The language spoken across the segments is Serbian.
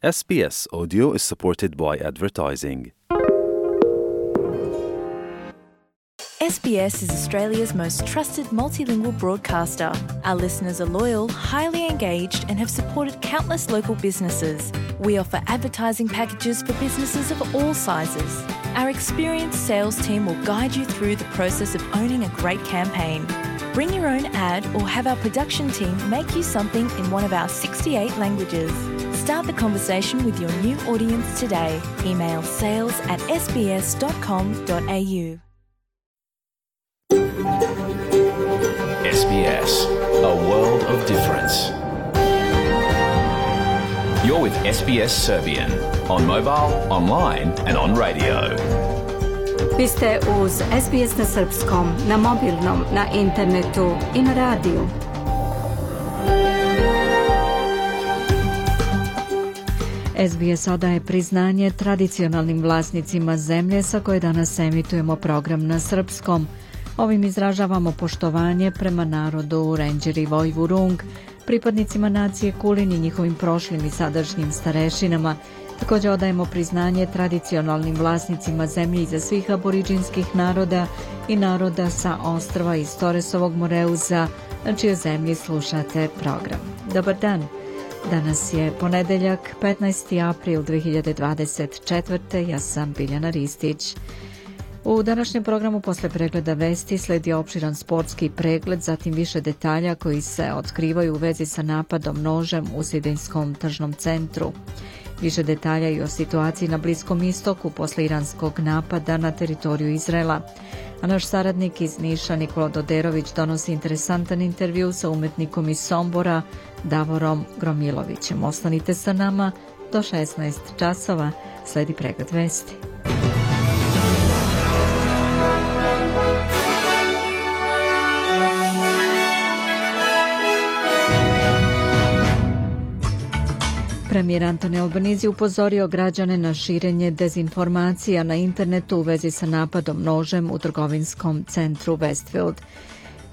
SBS Audio is supported by advertising. SBS is Australia's most trusted multilingual broadcaster. Our listeners are loyal, highly engaged, and have supported countless local businesses. We offer advertising packages for businesses of all sizes. Our experienced sales team will guide you through the process of owning a great campaign. Bring your own ad or have our production team make you something in one of our 68 languages. Start the conversation with your new audience today. Email sales@sbs.com.au. SBS, a world of difference. You're with SBS Serbian on mobile, online and on radio. Vi ste uz SBS na srpskom, na mobilnom, na internetu i na radiju. SBS odaje priznanje tradicionalnim vlasnicima zemlje sa koje danas emitujemo program na srpskom. Ovim izražavamo poštovanje prema narodu Rendžeri Vojvurung, pripadnicima nacije Kulin i njihovim prošlim i sadašnjim starešinama. Također odajemo priznanje tradicionalnim vlasnicima zemlje iza svih aboriđinskih naroda i naroda sa ostrva iz Toresovog Moreuza, na čijoj zemlji slušate program. Dobar dan! Danas je ponedeljak, 15. april 2024. Ja sam Biljana Ristić. U današnjem programu posle pregleda vesti sledi opširan sportski pregled, zatim više detalja koji se otkrivaju u vezi sa napadom nožem u Sidnejskom tržnom centru. Više detalja i o situaciji na Bliskom istoku posle iranskog napada na teritoriju Izraela. A naš saradnik iz Niša Nikola Doderović donosi interesantan intervju sa umetnikom iz Sombora Davorom Gromilovićem. Ostanite sa nama do 16 časova, sledi pregled vesti. Premijer Anthony Albanese upozorio građane na širenje dezinformacija na internetu u vezi sa napadom nožem u trgovinskom centru Westfield.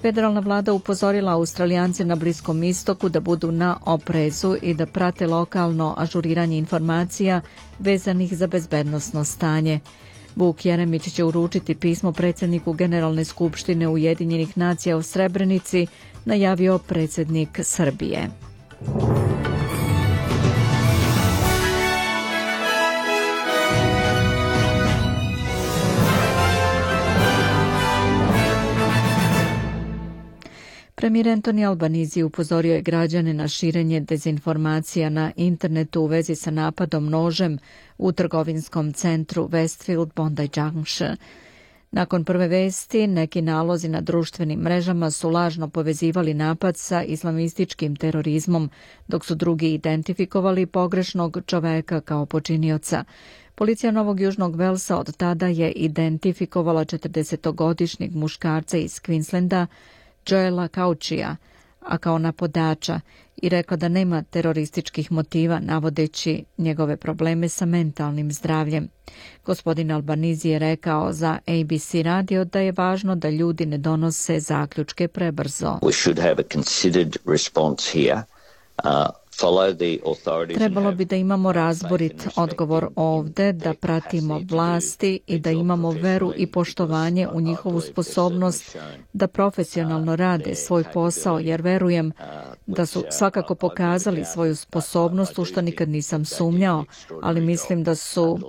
Federalna vlada upozorila Australijance na Bliskom istoku da budu na oprezu i da prate lokalno ažuriranje informacija vezanih za bezbednosno stanje. Vuk Jeremić će uručiti pismo predsjedniku Generalne skupštine Ujedinjenih nacija u Srebrenici, najavio predsjednik Srbije. Premijer Anthony Albanese upozorio je građane na širenje dezinformacija na internetu u vezi sa napadom nožem u trgovinskom centru Westfield Bondi Junction. Nakon prve vesti, neki nalozi na društvenim mrežama su lažno povezivali napad sa islamističkim terorizmom, dok su drugi identifikovali pogrešnog čoveka kao počinioca. Policija Novog Južnog Velsa od tada je identifikovala 40-godišnjeg muškarca iz Queenslanda, Joela Cauchija, a kao napadača, i rekla da nema terorističkih motiva, navodeći njegove probleme sa mentalnim zdravljem. Gospodin Albanese je rekao za ABC radio da je važno da ljudi ne donose zaključke prebrzo. We should have a considered response here. Trebalo bi da imamo razborit odgovor ovde, da pratimo vlasti i da imamo veru i poštovanje u njihovu sposobnost da profesionalno rade svoj posao, jer verujem da su svakako pokazali svoju sposobnost, u što nikad nisam sumnjao, ali mislim da su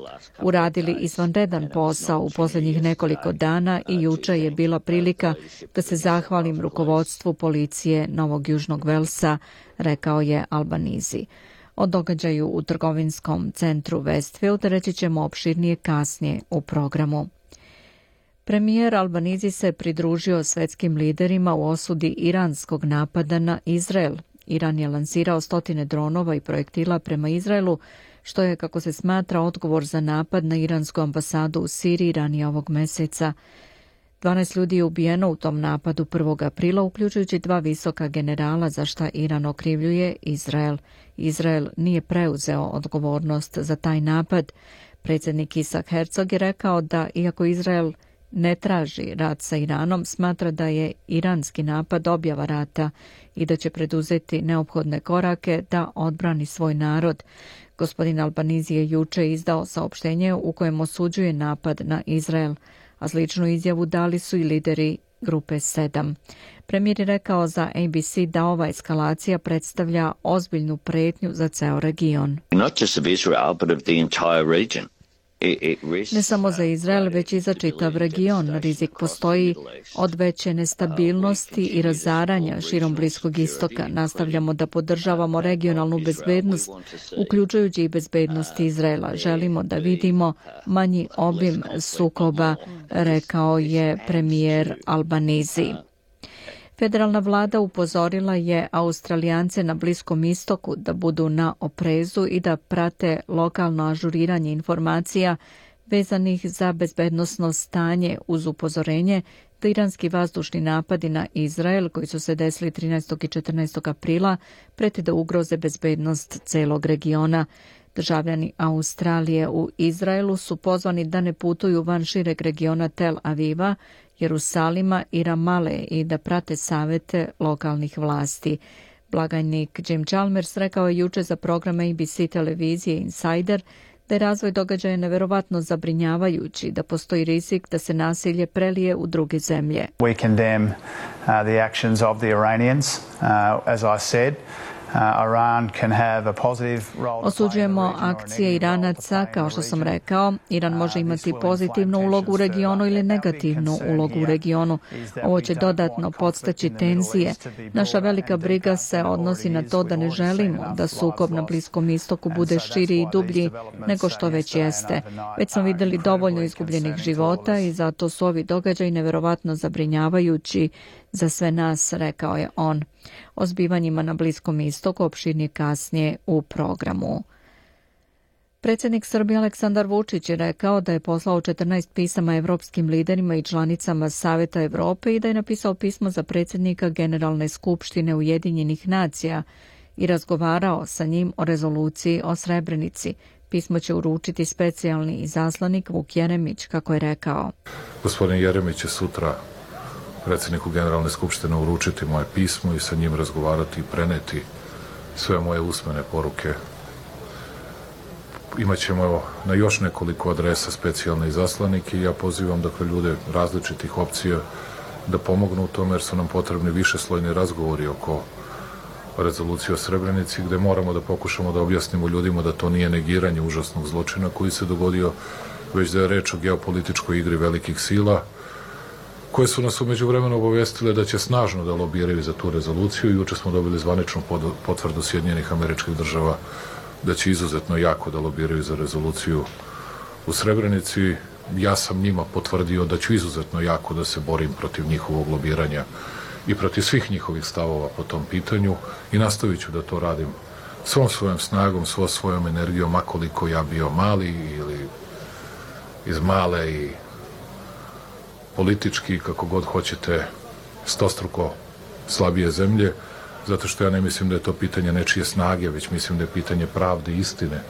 uradili izvanredan posao u posljednjih nekoliko dana i juče je bila prilika da se zahvalim rukovodstvu policije Novog Južnog Velsa, rekao je Albanese. O događaju u trgovinskom centru Westfield reći ćemo opširnije kasnije u programu. Premijer Albanese se pridružio svetskim liderima u osudi iranskog napada na Izrael. Iran je lansirao 100 dronova i projektila prema Izraelu, što je, kako se smatra, odgovor za napad na iransku ambasadu u Siriji ranije ovog meseca. 12 ljudi je ubijeno u tom napadu 1. aprila, uključujući 2 visoka generala, za šta Iran okrivljuje Izrael. Izrael nije preuzeo odgovornost za taj napad. Predsjednik Isaac Herzog je rekao da, iako Izrael ne traži rat sa Iranom, smatra da je iranski napad objava rata i da će preduzeti neophodne korake da odbrani svoj narod. Gospodin Albanizi je juče izdao saopštenje u kojem osuđuje napad na Izrael, a sličnu izjavu dali su i lideri grupe 7. Premijer je rekao za ABC da ova eskalacija predstavlja ozbiljnu pretnju za ceo region. Not just of Israel, but of the entire region. Ne samo za Izrael, već i za čitav region. Rizik postoji od veće nestabilnosti i razaranja širom Bliskog istoka. Nastavljamo da podržavamo regionalnu bezbednost, uključujući i bezbednost Izraela. Želimo da vidimo manji obim sukoba, rekao je premijer Albanizi. Federalna vlada upozorila je Australijance na Bliskom istoku da budu na oprezu i da prate lokalno ažuriranje informacija vezanih za bezbednosno stanje uz upozorenje da iranski vazdušni napadi na Izrael, koji su se desili 13. i 14. aprila, preti da ugroze bezbednost celog regiona. Državljani Australije u Izraelu su pozvani da ne putuju van šireg regiona Tel Aviva, Jerusalima i Ramale i da prate savete lokalnih vlasti. Blagajnik Jim Chalmers rekao je juče za program ABC televizije Insider da je razvoj događaja neverovatno zabrinjavajući, da postoji rizik da se nasilje prelije u druge zemlje. We condemn the actions of the Iranians, as I said. Iran can have a positive role. Osuđujemo akcije Iranaca, kao što sam rekao. Iran može imati pozitivnu ulogu u regionu ili negativnu ulogu u regionu. Ovo će dodatno podstaći tenzije. Naša velika briga se odnosi na to da ne želimo da sukob na Bliskom istoku bude širi i dublji nego što već jeste. Već smo vidjeli dovoljno izgubljenih života i zato su ovi događaji neverovatno zabrinjavajući za sve nas, rekao je on. O zbivanjima na Bliskom istoku opširnije kasnije u programu. Predsjednik Srbije Aleksandar Vučić je rekao da je poslao 14 pisama evropskim liderima i članicama Saveta Evrope i da je napisao pismo za predsjednika Generalne skupštine Ujedinjenih nacija i razgovarao sa njim o rezoluciji o Srebrenici. Pismo će uručiti specijalni izaslanik Vuk Jeremić, kako je rekao. Gospodin Jeremić će sutra predsjedniku Generalne skupštine uručiti moje pismo i sa njim razgovarati i preneti sve moje usmene poruke. Imaćemo na još nekoliko adresa specijalne izaslanike i ja pozivam ljude različitih opcija da pomognu u tome jer su nam potrebni višeslojni razgovori oko rezolucije o Srebrenici gde moramo da pokušamo da objasnimo ljudima da to nije negiranje užasnog zločina koji se dogodio, već da je reč o geopolitičkoj igri velikih sila koje su nas umeđu vremenu obavestile da će snažno da lobiraju za tu rezoluciju. Juče smo dobili zvaničnu potvrdu Sjedinjenih Američkih Država da će izuzetno jako da lobiraju za rezoluciju u Srebrenici. Ja sam njima potvrdio da ću izuzetno jako da se borim protiv njihovog lobiranja i protiv svih njihovih stavova po tom pitanju i nastavit ću da to radim svom svojom snagom, svojom energijom, makoliko ja bio mali ili iz male i politički, kako god hoćete, stostruko slabije zemlje, zato što ja ne mislim da je to pitanje nečije snage, već mislim da je pitanje pravde i istine,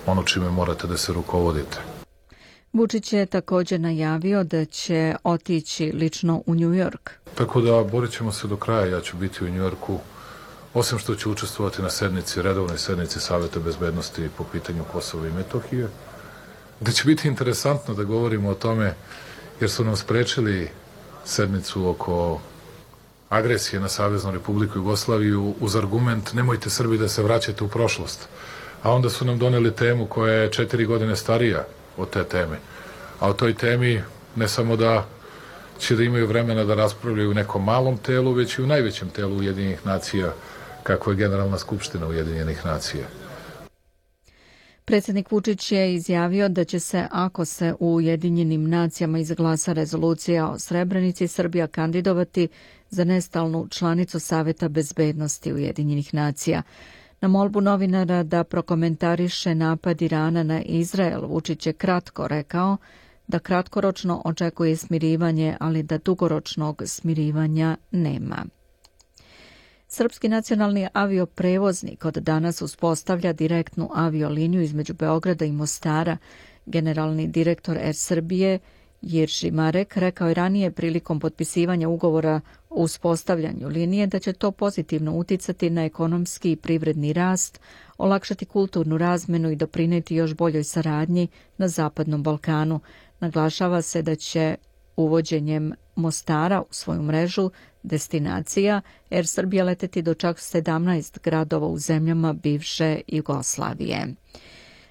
ono čime morate da se rukovodite. Vučić je također najavio da će otići lično u New York. Tako da borit ćemo se do kraja, ja ću biti u New Yorku, osim što ću učestvovati na redovnoj sednici Saveta bezbednosti po pitanju Kosova i Metohije, gde će biti interesantno da govorimo o tome jer su nam sprečili sednicu oko agresije na Saveznu Republiku Jugoslaviju uz argument nemojte Srbi da se vraćate u prošlost. A onda su nam doneli temu koja je 4 godine starija od te teme. A o toj temi ne samo da će da imaju vremena da raspravljaju u nekom malom telu, već i u najvećem telu Ujedinjenih nacija, kako je Generalna skupština Ujedinjenih nacija. Predsjednik Vučić je izjavio da će se, ako se u Ujedinjenim nacijama izglasa rezolucija o Srebrenici, Srbija kandidovati za nestalnu članicu Saveta bezbednosti Ujedinjenih nacija. Na molbu novinara da prokomentariše napad Irana na Izrael, Vučić je kratko rekao da kratkoročno očekuje smirivanje, ali da dugoročnog smirivanja nema. Srpski nacionalni avioprevoznik od danas uspostavlja direktnu avioliniju između Beograda i Mostara. Generalni direktor Air Srbije Jirši Marek rekao je ranije prilikom potpisivanja ugovora o uspostavljanju linije da će to pozitivno uticati na ekonomski i privredni rast, olakšati kulturnu razmenu i doprineti još boljoj saradnji na Zapadnom Balkanu. Naglašava se da će uvođenjem Mostara u svoju mrežu destinacija Air Srbija leteti do čak 17 gradova u zemljama bivše Jugoslavije.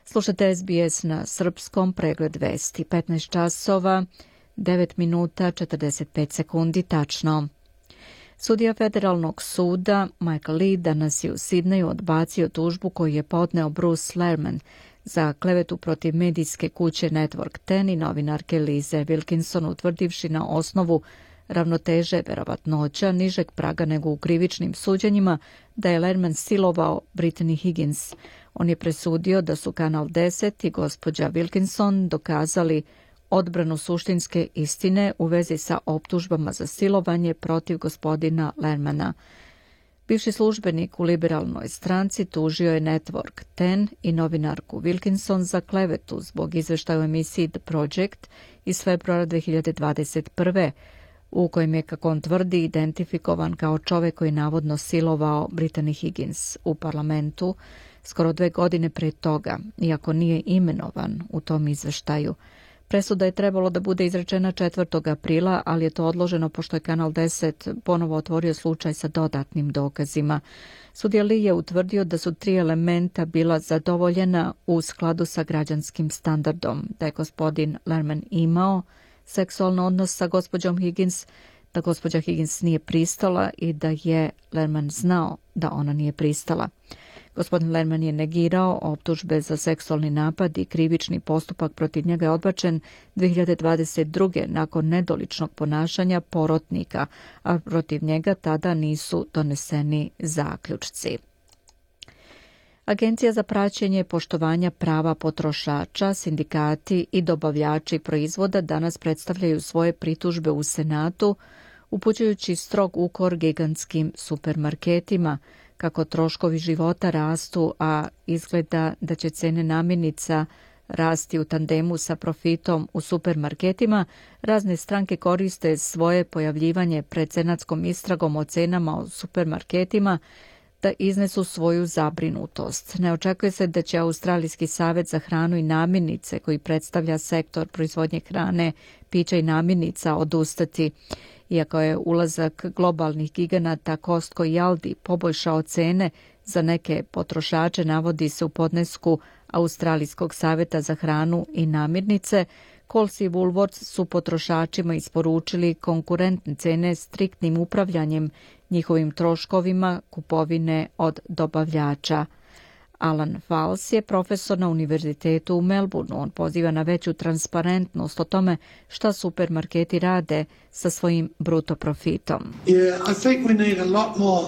Slušate SBS na srpskom, pregled vesti, 15 časova, 9 minuta, 45 sekundi tačno. Sudija Federalnog suda Michael Lee danas je u Sidneju odbacio tužbu koju je podneo Bruce Lerman za klevetu protiv medijske kuće Network 10 i novinarke Lize Wilkinson, utvrdivši na osnovu ravnoteže verovatnoća nižeg praga nego u krivičnim suđenjima da je Lerman silovao Brittany Higgins. On je presudio da su Kanal 10 i gospođa Wilkinson dokazali odbranu suštinske istine u vezi sa optužbama za silovanje protiv gospodina Lermana. Bivši službenik u liberalnoj stranci tužio je Network 10 i novinarku Wilkinson za klevetu zbog izveštaja u emisiji The Project iz februara 2021. u kojem je, kako on tvrdi, identifikovan kao čovek koji navodno silovao Brittany Higgins u parlamentu skoro 2 godine pre toga, iako nije imenovan u tom izveštaju. Presuda je trebalo da bude izrečena 4. aprila, ali je to odloženo pošto je Kanal 10 ponovo otvorio slučaj sa dodatnim dokazima. Sudija Lee je utvrdio da su 3 elementa bila zadovoljena u skladu sa građanskim standardom, da je gospodin Lerman imao seksualni odnos sa gospođom Higgins, da gospođa Higgins nije pristala i da je Lerman znao da ona nije pristala. Gospodin Lerman je negirao optužbe za seksualni napad i krivični postupak protiv njega je odbačen 2022. nakon nedoličnog ponašanja porotnika, a protiv njega tada nisu doneseni zaključci. Agencija za praćenje poštovanja prava potrošača, sindikati i dobavljači proizvoda danas predstavljaju svoje pritužbe u Senatu, upućujući strog ukor gigantskim supermarketima, kako troškovi života rastu, a izgleda da će cene namirnica rasti u tandemu sa profitom u supermarketima. Razne stranke koriste svoje pojavljivanje pred senatskom istragom o cenama u supermarketima da iznesu svoju zabrinutost. Ne očekuje se da će Australijski savet za hranu i namirnice, koji predstavlja sektor proizvodnje hrane, pića i namirnica, odustati. Iako je ulazak globalnih giganata Costco i Aldi poboljšao cene za neke potrošače, navodi se u podnesku Australijskog saveta za hranu i namirnice, Coles i Woolworths su potrošačima isporučili konkurentne cene striktnim upravljanjem njihovim troškovima kupovine od dobavljača. Alan Fals je profesor na univerzitetu u Melbourneu. On poziva na veću transparentnost o tome šta supermarketi rade sa svojim bruto profitom. Yeah, I think we need a lot more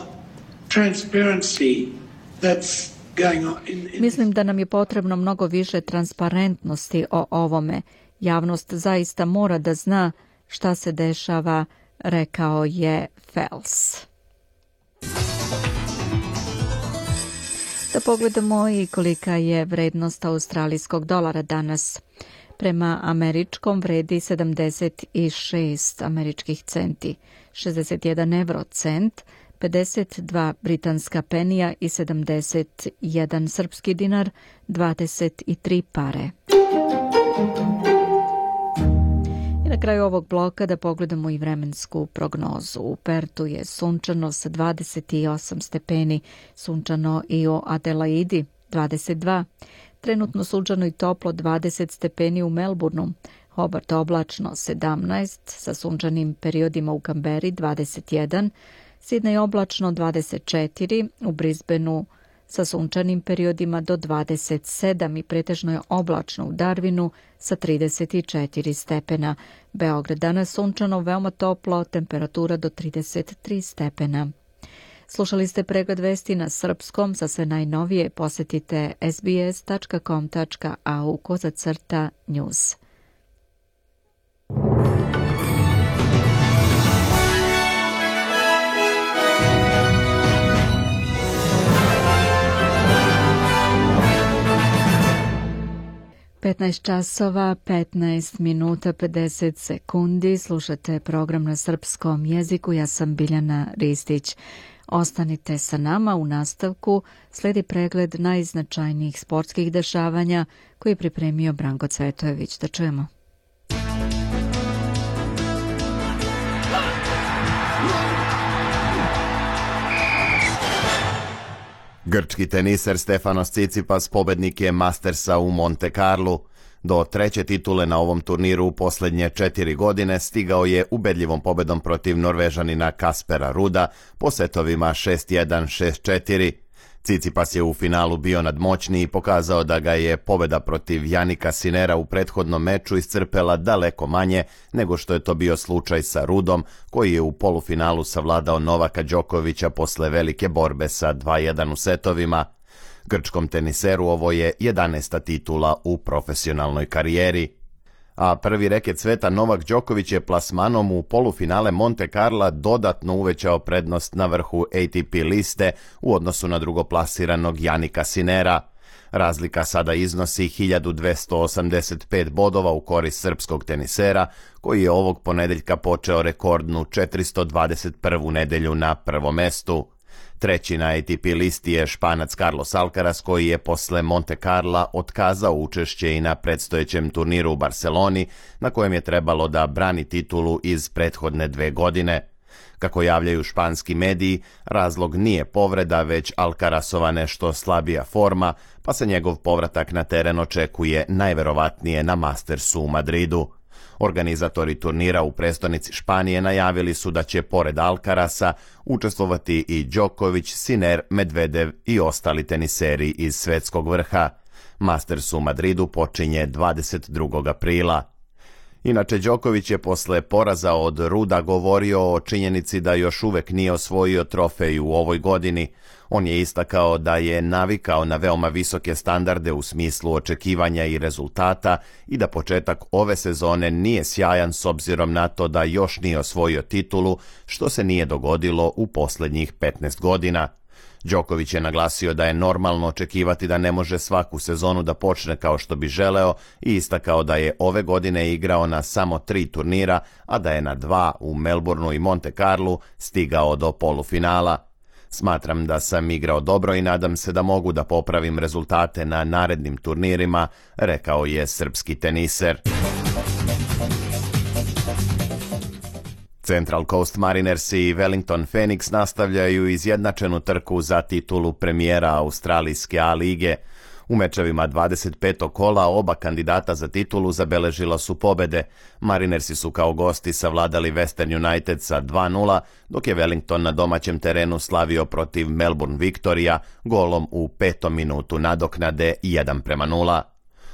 transparency that's going on. Mislim da nam je potrebno mnogo više transparentnosti o ovome. Javnost zaista mora da zna šta se dešava, rekao je Fels. Da pogledamo i kolika je vrednost australijskog dolara danas. Prema američkom vredi 76 američkih centi, 61 eurocent, 52 britanska penija i 71 srpski dinar, 23 pare. I na kraju ovog bloka da pogledamo i vremensku prognozu. U Pertu je sunčano sa 28 stepeni, sunčano i u Adelaidi 22, trenutno sunčano i toplo 20 stepeni u Melbourneu, Hobart oblačno 17, sa sunčanim periodima u Kamberi 21, Sidney oblačno 24, u Brisbaneu sa sunčanim periodima do 27 i pretežno je oblačno u Darwinu sa 34 stepena. Beograd danas sunčano, veoma toplo, temperatura do 33 stepena. Slušali ste pregled vesti na srpskom. Za sve najnovije posetite sbs.com.au/news. 15 časova, 15 minuta, 50 sekundi. Slušate program na srpskom jeziku. Ja sam Biljana Ristić. Ostanite sa nama. U nastavku sledi pregled najznačajnijih sportskih dešavanja koji je pripremio Branko Cvetojević. Da čujemo. Grčki teniser Stefanos Tsitsipas pobednik je Mastersa u Monte Carlu. Do treće titule na ovom turniru u posljednje 4 godine stigao je ubedljivom pobedom protiv Norvežanina Kaspera Ruda po setovima 6-1, 6-4. Tsitsipas je u finalu bio nadmoćniji i pokazao da ga je pobeda protiv Janika Sinera u prethodnom meču iscrpela daleko manje nego što je to bio slučaj sa Rudom, koji je u polufinalu savladao Novaka Đokovića posle velike borbe sa 2-1 u setovima. Grčkom teniseru ovo je 11. titula u profesionalnoj karijeri. A prvi reket sveta Novak Đoković je plasmanom u polufinale Monte Carla dodatno uvećao prednost na vrhu ATP liste u odnosu na drugoplasiranog Janika Sinera. Razlika sada iznosi 1285 bodova u korist srpskog tenisera, koji je ovog ponedeljka počeo rekordnu 421. nedelju na prvom mestu. Treći na ATP listi je Španac Carlos Alcaraz, koji je posle Monte Carla otkazao učešće i na predstojećem turniru u Barceloni, na kojem je trebalo da brani titulu iz prethodne 2 godine. Kako javljaju španski mediji, razlog nije povreda, već Alcarazova nešto slabija forma, pa se njegov povratak na teren očekuje najverovatnije na Mastersu u Madridu. Organizatori turnira u prestonici Španije najavili su da će pored Alcaraza učestvovati i Đoković, Sinner, Medvedev i ostali teniseri iz svetskog vrha. Masters u Madridu počinje 22. aprila. Inače, Đoković je posle poraza od Ruda govorio o činjenici da još uvek nije osvojio trofej u ovoj godini. On je istakao da je navikao na veoma visoke standarde u smislu očekivanja i rezultata i da početak ove sezone nije sjajan s obzirom na to da još nije osvojio titulu, što se nije dogodilo u posljednjih 15 godina. Đoković je naglasio da je normalno očekivati da ne može svaku sezonu da počne kao što bi želeo i istakao da je ove godine igrao na samo 3 turnira, a da je na 2 u Melbourneu i Monte Carlu stigao do polufinala. Smatram da sam igrao dobro i nadam se da mogu da popravim rezultate na narednim turnirima, rekao je srpski teniser. Central Coast Mariners i Wellington Phoenix nastavljaju izjednačenu trku za titulu premijera australijske A lige. U mečevima 25. kola oba kandidata za titulu zabeležila su pobede. Marinersi su kao gosti savladali Western United sa 2-0, dok je Wellington na domaćem terenu slavio protiv Melbourne Victoria golom u 5. minutu nadoknade 1-0.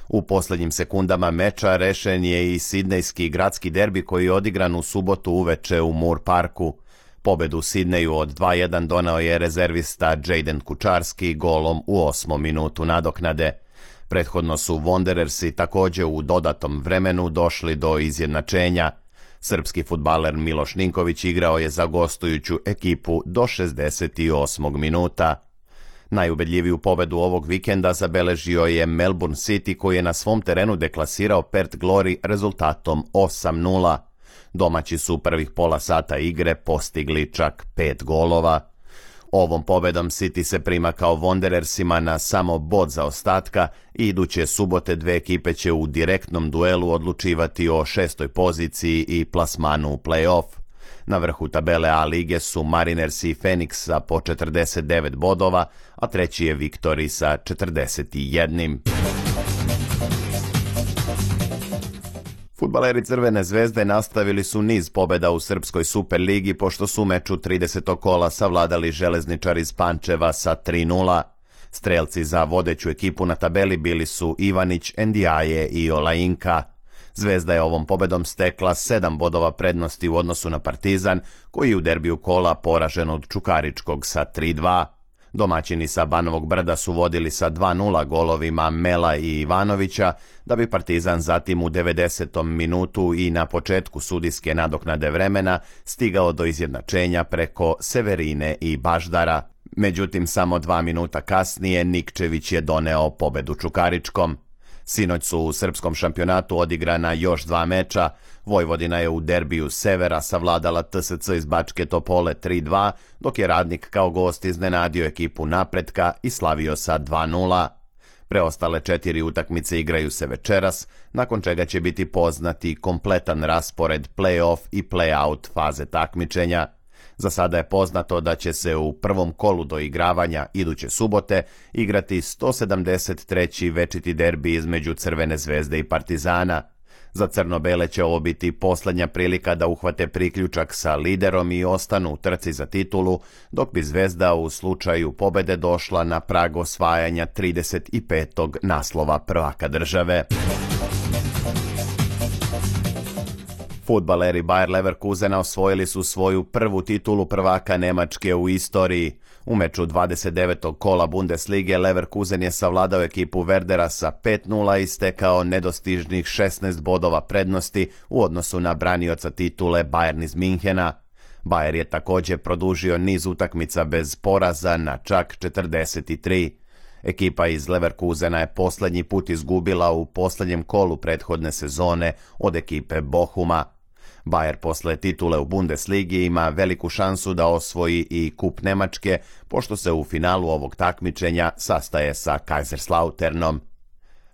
U posljednjim sekundama meča rešen je i sidnejski gradski derbi koji je odigran u subotu uveče u Moore Parku. Pobedu u Sidneju od 2-1 doneo je rezervista Jayden Kučarski golom u 8. minutu nadoknade. Prethodno su Wanderersi također u dodatom vremenu došli do izjednačenja. Srpski fudbaler Miloš Ninković igrao je za gostujuću ekipu do 68. minuta. Najubedljiviju pobedu ovog vikenda zabeležio je Melbourne City, koji je na svom terenu deklasirao Perth Glory rezultatom 8-0. Domaći su prvih pola sata igre postigli čak 5 golova. Ovom pobedom City se prima kao Wanderersima na samo bod zaostatka i iduće subote dve ekipe će u direktnom duelu odlučivati o 6. poziciji i plasmanu u play-off. Na vrhu tabele A lige su Mariners i Phoenix sa po 49 bodova, a treći je Victory sa 41. Fudbaleri Crvene zvezde nastavili su niz pobjeda u Srpskoj Superligi, pošto su u meču 30. kola savladali Železničar iz Pančeva sa 3-0. Strelci za vodeću ekipu na tabeli bili su Ivanić, Ndiaye i Olajinka. Zvezda je ovom pobedom stekla 7 bodova prednosti u odnosu na Partizan, koji je u derbiju kola poražen od Čukaričkog sa 3-2. Domaćini sa Banovog Brda su vodili sa 2-0 golovima Mela i Ivanovića, da bi Partizan zatim u 90. minutu i na početku sudijske nadoknade vremena stigao do izjednačenja preko Severine i Baždara. Međutim, samo 2 minuta kasnije Nikčević je doneo pobedu Čukaričkom. Sinoć su u srpskom šampionatu odigrana još 2 meča. Vojvodina je u derbiju Severa savladala TSC iz Bačke Topole 3-2, dok je Radnik kao gost iznenadio ekipu Napretka i slavio sa 2-0. Preostale 4 utakmice igraju se večeras, nakon čega će biti poznati kompletan raspored play-off i play-out faze takmičenja. Za sada je poznato da će se u prvom kolu doigravanja iduće subote igrati 173. večiti derbi između Crvene zvezde i Partizana. Za crno-bele će ovo biti posljednja prilika da uhvate priključak sa liderom i ostanu u trci za titulu, dok bi Zvezda u slučaju pobede došla na prag osvajanja 35. naslova prvaka države. Fudbaleri Bayer Leverkusena osvojili su svoju prvu titulu prvaka Nemačke u istoriji. U meču 29. kola Bundeslige Leverkusen je savladao ekipu Werdera sa 5-0 i stekao nedostižnih 16 bodova prednosti u odnosu na branioca titule Bayern iz Minhena. Bayer je također produžio niz utakmica bez poraza na čak 43. Ekipa iz Leverkusena je posljednji put izgubila u posljednjem kolu prethodne sezone od ekipe Bochuma. Bayer posle titule u Bundesligi ima veliku šansu da osvoji i kup Nemačke, pošto se u finalu ovog takmičenja sastaje sa Kaiserslauternom.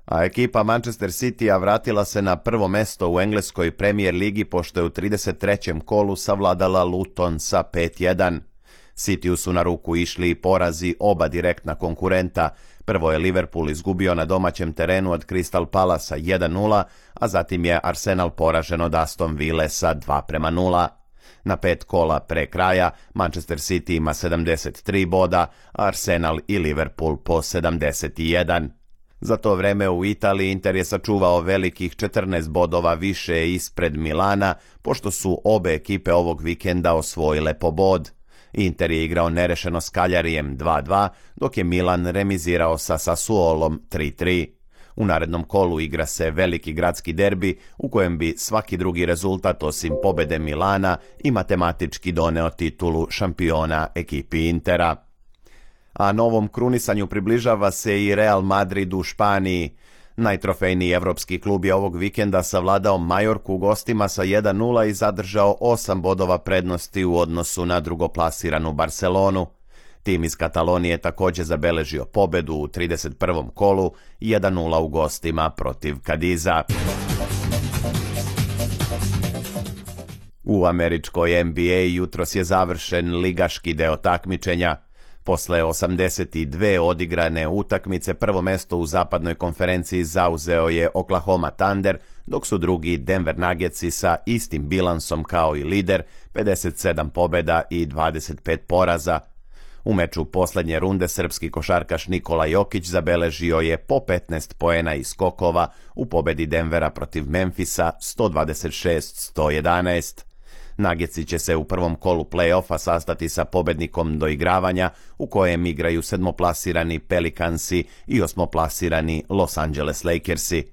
A ekipa Manchester Citya vratila se na prvo mesto u engleskoj Premier ligi pošto je u 33. kolu savladala Luton sa 5-1. Cityu su na ruku išli i porazi oba direktna konkurenta. Prvo je Liverpool izgubio na domaćem terenu od Crystal Palasa 1-0, a zatim je Arsenal poražen od Aston Ville sa 2-0. Na 5 kola pre kraja Manchester City ima 73 boda, a Arsenal i Liverpool po 71. Za to vreme u Italiji Inter je sačuvao velikih 14 bodova više ispred Milana, pošto su obe ekipe ovog vikenda osvojile po bod. Inter je igrao nerešeno s Cagliarijem 2-2, dok je Milan remizirao sa Sassuolom 3-3. U narednom kolu igra se veliki gradski derbi u kojem bi svaki drugi rezultat osim pobede Milana i matematički doneo titulu šampiona ekipi Intera. A novom krunisanju približava se i Real Madrid u Španiji. Najtrofejniji evropski klub je ovog vikenda savladao Majorku u gostima sa 1-0 i zadržao 8 bodova prednosti u odnosu na drugoplasiranu Barcelonu. Tim iz Katalonije također zabeležio pobedu u 31. kolu 1-0 u gostima protiv Kadiza. U američkoj NBA jutros je završen ligaški deo takmičenja. Posle 82 odigrane utakmice prvo mesto u zapadnoj konferenciji zauzeo je Oklahoma Thunder, dok su drugi Denver Nuggetsi sa istim bilansom kao i lider, 57 pobjeda i 25 poraza. U meču posljednje runde srpski košarkaš Nikola Jokić zabeležio je po 15 poena i skokova u pobedi Denvera protiv Memfisa 126-111. Nuggetsi će se u prvom kolu play-offa sastati sa pobednikom doigravanja u kojem igraju sedmoplasirani Pelicansi i osmoplasirani Los Angeles Lakersi.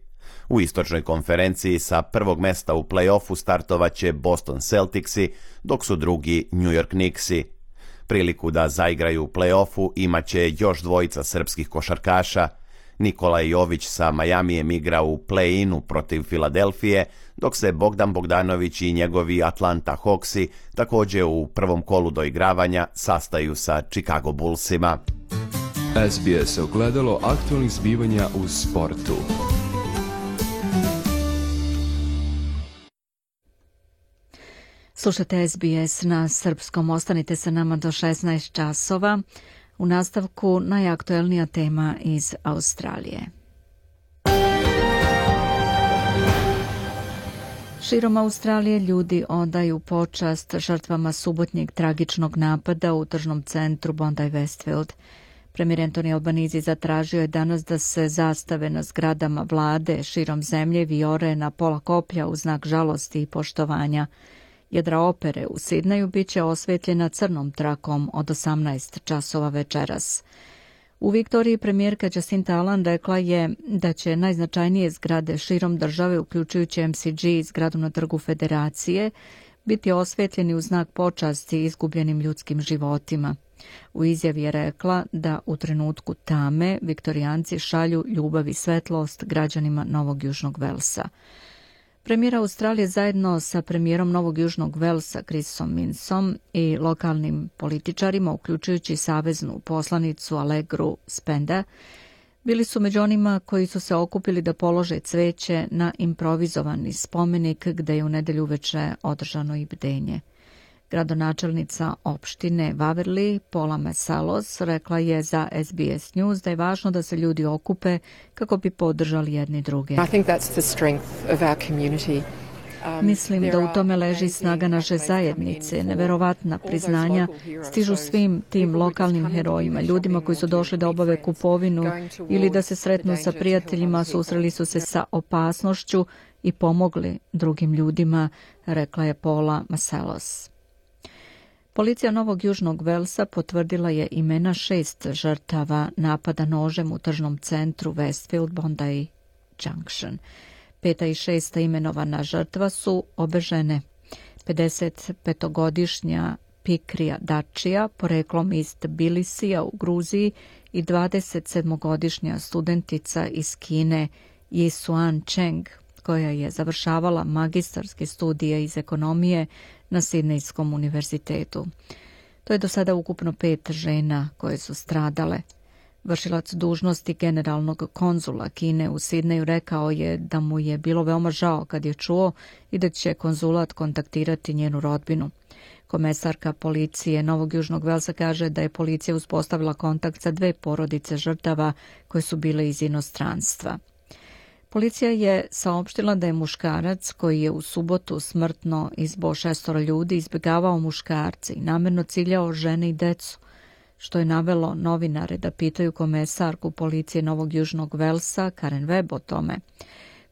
U istočnoj konferenciji sa prvog mesta u play-offu startovaće Boston Celticsi, dok su drugi New York Knicksi. Priliku da zaigraju u play-offu imaće još dvojica srpskih košarkaša. Nikola Jović sa Majamijem igra u play-inu protiv Filadelfije, dok se Bogdan Bogdanović i njegovi Atlanta Hawksi također u prvom kolu doigravanja sastaju sa Chicago Bullsima. SBS ogledalo aktualnih zbivanja u sportu. Slušajte SBS na srpskom, ostanite sa nama do 16 časova. U nastavku najaktuelnija tema iz Australije. Širom Australije ljudi odaju počast žrtvama subotnjeg tragičnog napada u tržnom centru Bondi Westfield. Premijer Anthony Albanese zatražio je danas da se zastave na zgradama vlade širom zemlje vijore na pola koplja u znak žalosti i poštovanja. Jedra opere u Sidneju bit će osvetljena crnom trakom od 18 časova večeras. U Viktoriji premijerka Jacinta Ardern rekla je da će najznačajnije zgrade širom države, uključujući MCG i zgradu na Trgu Federacije, biti osvetljeni u znak počasti izgubljenim ljudskim životima. U izjavi je rekla da u trenutku tame Viktorijanci šalju ljubav i svetlost građanima Novog Južnog Velsa. Premijer Australije zajedno sa premijerom Novog Južnog Velsa Chrisom Minsom i lokalnim političarima, uključujući saveznu poslanicu Allegru Spenda, bili su među onima koji su se okupili da polože cveće na improvizovani spomenik gde je u nedelju uveče održano i bdenje. Gradonačelnica opštine Waverley, Paula Masalos, rekla je za SBS News da je važno da se ljudi okupe kako bi podržali jedni druge. Mislim da u tome leži snaga naše zajednice. Neverovatna priznanja stižu svim tim lokalnim herojima, ljudima koji su došli da obave kupovinu ili da se sretnu sa prijateljima, susreli su se sa opasnošću i pomogli drugim ljudima, rekla je Paula Masalos. Policija Novog Južnog Velsa potvrdila je imena 6 žrtava napada nožem u tržnom centru Westfield Bondi Junction. 5. i 6. imenovana žrtva su obe žene. 55-godišnja Pikrija Dačija, poreklom iz Tbilisija u Gruziji, i 27-godišnja studentica iz Kine Yisuan Cheng, koja je završavala magistarske studije iz ekonomije na Sidnejskom univerzitetu. To je do sada ukupno 5 žena koje su stradale. Vršilac dužnosti generalnog konzula Kine u Sidneju rekao je da mu je bilo veoma žao kad je čuo i da će konzulat kontaktirati njenu rodbinu. Komesarka policije Novog Južnog Velsa kaže da je policija uspostavila kontakt sa 2 porodice žrtava koje su bile iz inostranstva. Policija je saopštila da je muškarac koji je u subotu smrtno izboo 6 ljudi izbjegavao muškarce i namjerno ciljao žene i decu, što je navelo novinare da pitaju komesarku policije Novog Južnog Velsa Karen Webb o tome.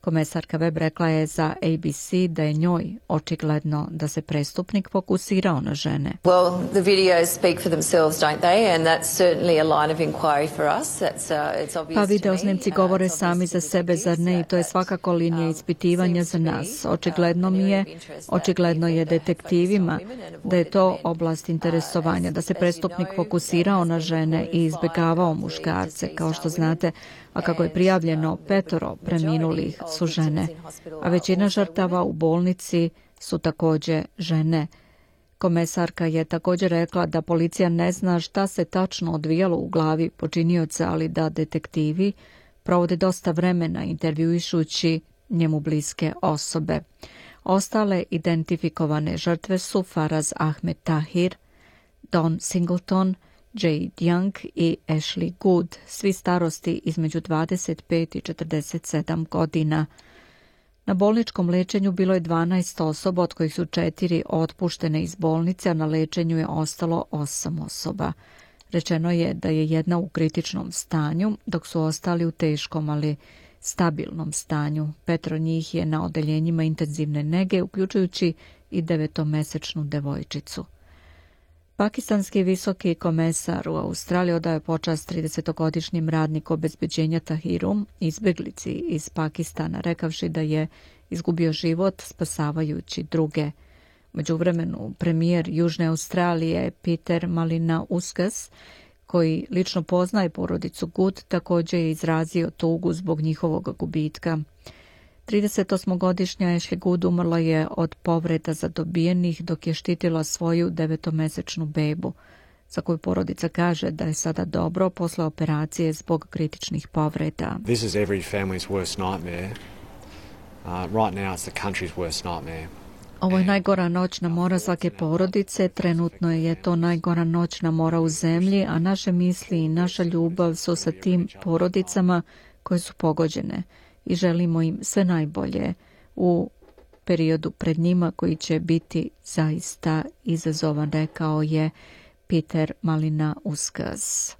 Komesarka Webb rekla je za ABC da je njoj očigledno da se prestupnik fokusirao na žene. Well, the videos speak for themselves, don't they? And that's certainly a line of inquiry for us. It's obvious. Pa videosnimci govore sami za sebe, zar ne? I to je svakako linija ispitivanja za nas. Očigledno je detektivima da je to oblast interesovanja, da se prestupnik fokusirao na žene i izbjegavao muškarce. Kao što znate, a kako je prijavljeno, 5 preminulih su žene, a većina žrtava u bolnici su također žene. Komesarka je također rekla da policija ne zna šta se tačno odvijalo u glavi počinioca, ali da detektivi provode dosta vremena intervjuišući njemu bliske osobe. Ostale identifikovane žrtve su Faraz Ahmed Tahir, Don Singleton, Jade Young i Ashley Good, svi starosti između 25 i 47 godina. Na bolničkom lečenju bilo je 12 osoba, od kojih su 4 otpuštene iz bolnice, a na lečenju je ostalo 8 osoba. Rečeno je da je jedna u kritičnom stanju, dok su ostali u teškom, ali stabilnom stanju. 5 njih je na odeljenjima intenzivne nege, uključujući i 9-mesečnu devojčicu. Pakistanski visoki komesar u Australiji odaje počast 30-godišnjem radniku obezbeđenja Tahiru, izbjeglici iz Pakistana, rekavši da je izgubio život spasavajući druge. U međuvremenu premijer Južne Australije Peter Malinauskas, koji lično poznaje porodicu Good, također je izrazio tugu zbog njihovog gubitka. 38-godišnja Ashley Good umrla je od povreda zadobijenih dok je štitila svoju 9-mesečnu bebu, za koju porodica kaže da je sada dobro posle operacije zbog kritičnih povreda. This is every family's worst nightmare. Right now it's the country's worst nightmare. Ovo je najgora noćna mora svake porodice, trenutno je to najgora noćna mora u zemlji, a naše misli i naša ljubav su sa tim porodicama koje su pogođene i želimo im sve najbolje u periodu pred njima koji će biti zaista izazovan, rekao je Peter Malinauskas.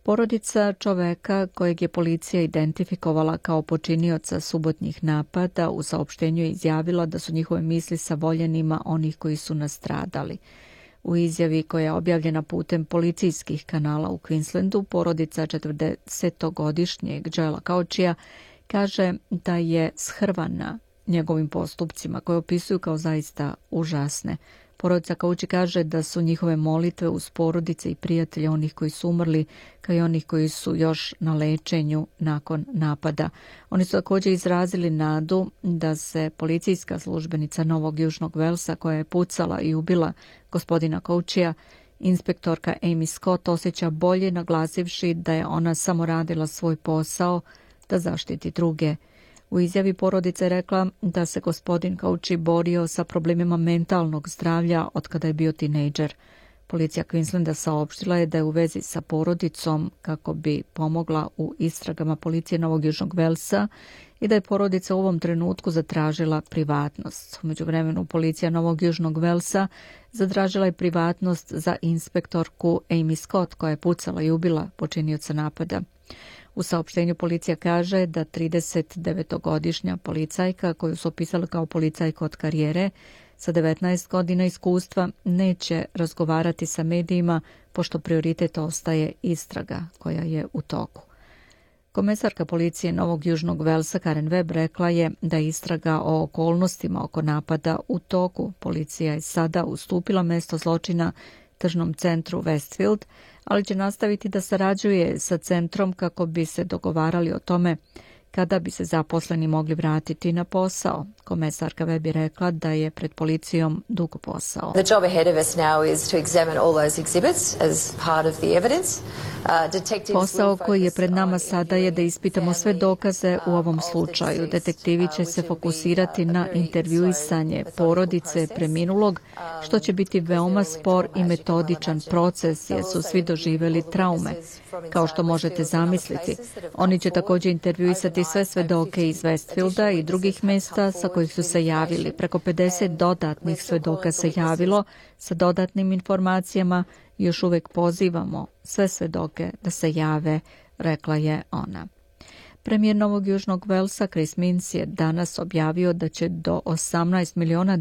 Porodica čoveka kojeg je policija identifikovala kao počinioca subotnjih napada u saopštenju je izjavila da su njihove misli sa voljenima onih koji su nastradali. U izjavi koja je objavljena putem policijskih kanala u Queenslandu, porodica 40-godišnjeg Joela Cauchija kaže da je shrvana njegovim postupcima koje opisuju kao zaista užasne. Porodica Kouči kaže da su njihove molitve uz porodice i prijatelje onih koji su umrli, kao i onih koji su još na lečenju nakon napada. Oni su također izrazili nadu da se policijska službenica Novog Južnog Velsa, koja je pucala i ubila gospodina Koučija, inspektorka Amy Scott, osjeća bolje, naglasivši da je ona samo radila svoj posao da zaštiti druge. U izjavi porodica je rekla da se gospodin Kouči borio sa problemima mentalnog zdravlja od kada je bio tinejdžer. Policija Queenslanda saopštila je da je u vezi sa porodicom kako bi pomogla u istragama policije Novog Južnog Velsa i da je porodica u ovom trenutku zatražila privatnost. U međuvremenu policija Novog Južnog Velsa zatražila je privatnost za inspektorku Amy Scott, koja je pucala i ubila počinioca napada. U saopštenju policija kaže da 39-godišnja policajka, koju su opisali kao policajka od karijere, sa 19 godina iskustva, neće razgovarati sa medijima, pošto prioritet ostaje istraga koja je u toku. Komesarka policije Novog Južnog Velsa Karen Webb rekla je da je istraga o okolnostima oko napada u toku. Policija je sada ustupila mesto zločina tržnom centru Westfield, ali će nastaviti da sarađuje sa centrom kako bi se dogovarali o tome kada bi se zaposleni mogli vratiti na posao. Komesarka Webb je rekla da je pred policijom dug posao. The job ahead of us now is to examine all those exhibits as part of the evidence. Posao koji je pred nama sada je da ispitamo sve dokaze u ovom slučaju. Detektivi će se fokusirati na intervjuisanje porodice preminulog, što će biti veoma spor i metodičan proces jer su svi doživjeli traume. Kao što možete zamisliti, oni će također intervjuisati sve svedoke iz Westfielda i drugih mjesta sa kojih su se javili. Preko 50 dodatnih svedoka se javilo sa dodatnim informacijama. Još uvijek pozivamo sve svedoke da se jave, rekla je ona. Premijer Novog Južnog Velsa Chris Minns je danas objavio da će do $18 miliona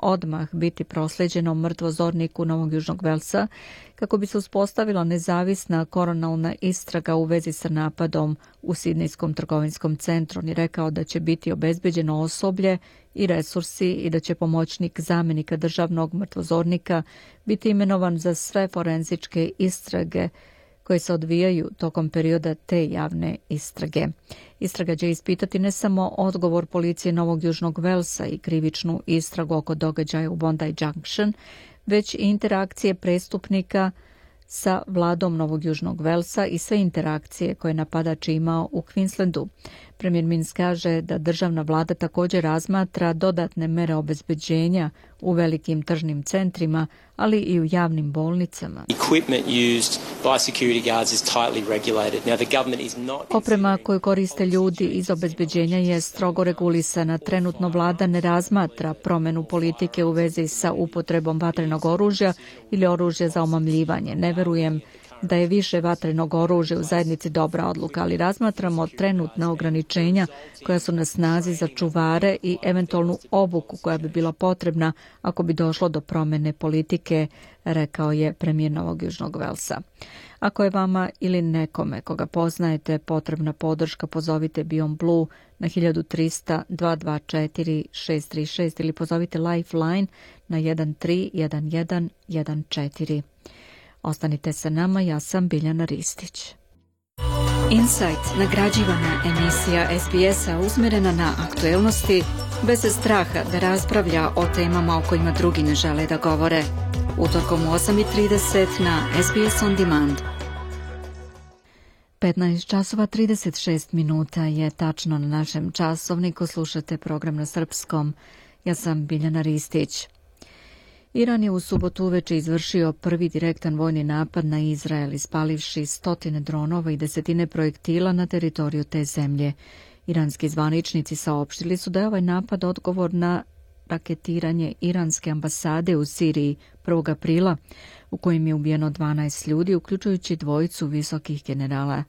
odmah biti proslijeđeno mrtvozorniku Novog Južnog Velsa kako bi se uspostavila nezavisna koronalna istraga u vezi sa napadom u Sidnejskom trgovinskom centru. On je rekao da će biti obezbeđeno osoblje i resursi i da će pomoćnik zamjenika državnog mrtvozornika biti imenovan za sve forenzičke istrage koje se odvijaju tokom perioda te javne istrage. Istraga će ispitati ne samo odgovor policije Novog Južnog Velsa i krivičnu istragu oko događaja u Bondi Junction, već i interakcije prestupnika sa vladom Novog Južnog Velsa i sve interakcije koje napadač imao u Queenslandu. Premijer Minns kaže da državna vlada također razmatra dodatne mere obezbeđenja u velikim tržnim centrima, ali i u javnim bolnicama. Oprema koju koriste ljudi iz obezbeđenja je strogo regulisana. Trenutno vlada ne razmatra promjenu politike u vezi sa upotrebom vatrenog oružja ili oružja za omamljivanje. Ne verujem da je više vatrenog oružja u zajednici dobra odluka, ali razmatramo trenutna ograničenja koja su na snazi za čuvare i eventualnu obuku koja bi bila potrebna ako bi došlo do promjene politike, rekao je premijer Novog Južnog Velsa. Ako je vama ili nekome koga poznajete potrebna podrška, pozovite Beyond Blue na 1300 224 636 ili pozovite Lifeline na 131114. Ostanite sa nama, ja sam Biljana Ristić. Insight, nagrađivana emisija SBS-a usmjerena na aktuelnosti, bez straha da raspravlja o temama o kojima drugi ne žele da govore. Utorkom u 8:30 na SBS On Demand. 15:36 je tačno na našem časovniku. Slušate program na srpskom. Ja sam Biljana Ristić. Iran je u subotu uveče izvršio prvi direktan vojni napad na Izrael, ispalivši 100 dronova i 10 projektila na teritoriju te zemlje. Iranski zvaničnici saopštili su da je ovaj napad odgovor na raketiranje iranske ambasade u Siriji 1. aprila, u kojem je ubijeno 12 ljudi, uključujući 2 visokih generala.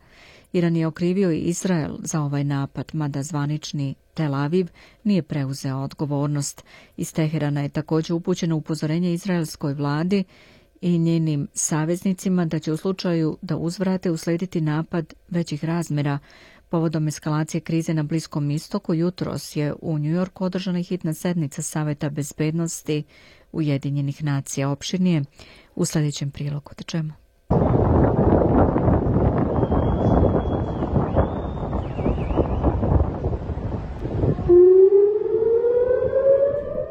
Iran je okrivio i Izrael za ovaj napad, mada zvanični Tel Aviv nije preuzeo odgovornost. Iz Teherana je također upućeno upozorenje izraelskoj vladi i njenim saveznicima da će u slučaju da uzvrate uslediti napad većih razmjera. Povodom eskalacije krize na Bliskom istoku jutros je u New Yorku održana hitna sednica Saveta bezbednosti Ujedinjenih nacija. Opširnije u sljedećem prilogu. Da čemu?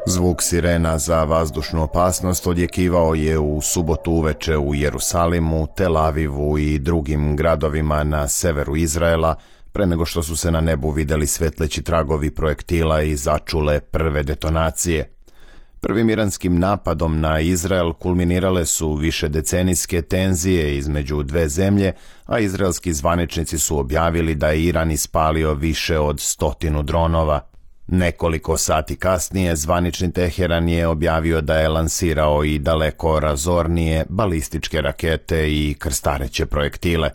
Zvuk sirena za vazdušnu opasnost odjekivao je u subotu uveče u Jerusalimu, Tel Avivu i drugim gradovima na severu Izraela, pre nego što su se na nebu videli svetleći tragovi projektila i začule prve detonacije. Prvim iranskim napadom na Izrael kulminirale su višedecenijske tenzije između dve zemlje, a izraelski zvaničnici su objavili da je Iran ispalio više od 100 dronova. Nekoliko sati kasnije zvanični Teheran je objavio da je lansirao i daleko razornije balističke rakete i krstareće projektile.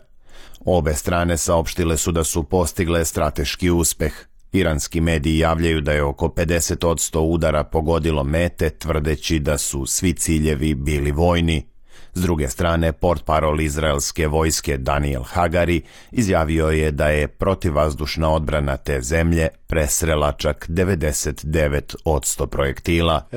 Obe strane saopštile su da su postigle strateški uspeh. Iranski mediji javljaju da je oko 50% udara pogodilo mete, tvrdeći da su svi ciljevi bili vojni. S druge strane, portparol izraelske vojske Daniel Hagari izjavio je da je protivvazdušna odbrana te zemlje presrela čak 99% projektila.